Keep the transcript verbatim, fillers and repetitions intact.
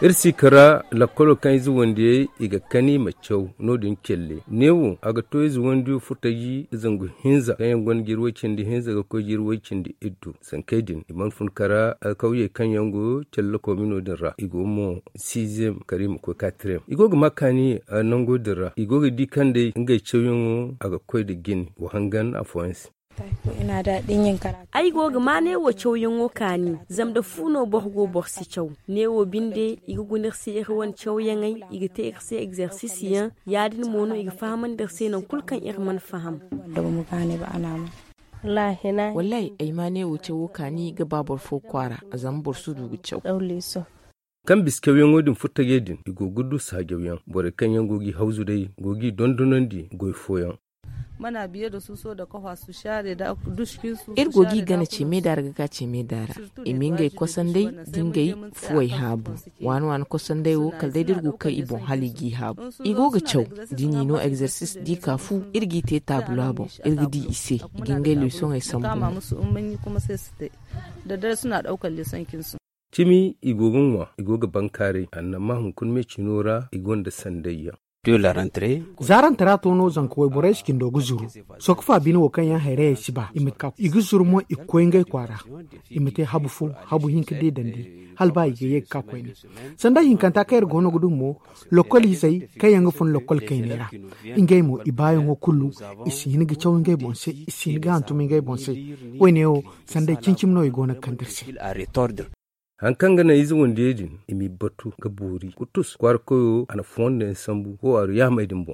Iri si kara lakkolo kaŋ ize wandiyey i ga kani i ma caw no- din celle neewo a ga to ize wandiyo furtaji zangu hinza kaŋ yaŋ gonda jiri way-cindi hinza ga koy jiri way-cindi iddu. Sankey din i mana fun kara alkawyey kaŋ yaŋ go celle koomino din ra i go mo siiziyem kara i ma koy katriyem i go ga ma kaani nango din ra i go ga di kaŋ day ngey cawyaŋo a ga koy nda jine wa hangan afooyaŋ se. Ay go ga ma neewo cawyaŋo kaani zama nda fu no boro go boro si caw. Neewo binde i ga guna iri se iri wane cawyaŋey i ga te iri se egzersisyaŋ. Ya- din mo no i ga fahamandi iri se nangu kulu kaŋ iri mana faham. Wallaahi ay ma neewo cawo kaani ga ba boro fo kwaara zama boro si du ga caw. Kaŋ bisa cawyaŋo din furtajey din i go ga du saajawyaŋ borey kaŋ yaŋ go g'i hawzu day go g'i dondonandi goy fooyaŋ. Iri go g'i gana ceemey daara ga ka ceemey daara i ma ngey kosandey da ngey fuwey haabu. Waani waani kosandey wo kala day da iri go ga kay i boŋ hala i g'i haabu. I go ga caw da i n'i no egzersis da i ka fu iri g'i te taabula boŋ iri ga di i se i ga ngey leesoŋey sambu. Cimi i go ga ŋwa i go ga bankaaray annama hunkuna me cino ra i gonda sandayyaŋ. Za rantara to no zanka wayborey si cindo ga zuru. Sokofa bine wo kaŋ yaŋ hayrayey si ba i ma ka i ga zuru mo i ga koy ngey kwaara. I ma te habu fo habu hinka deedandi hala ba i ga ye ga ka koyne. Sanda hinkanta kaŋ iri goono ga du mo lokol izey kaŋ yaŋ ga fun lokol kayney ra. Ngey mo i baayaŋo kulu i si hin ga caw ngey boŋ se i si hin ga hantum ngey boŋ se. Woyne wo sanday cimi-cimi no i goono ga kande iri se. Hari kaŋ ga naŋ ize wandiyey din i m'i batu ga boori kutus kwaara koyo a na fondo yaŋ sambu wo a du yaamey din boŋ.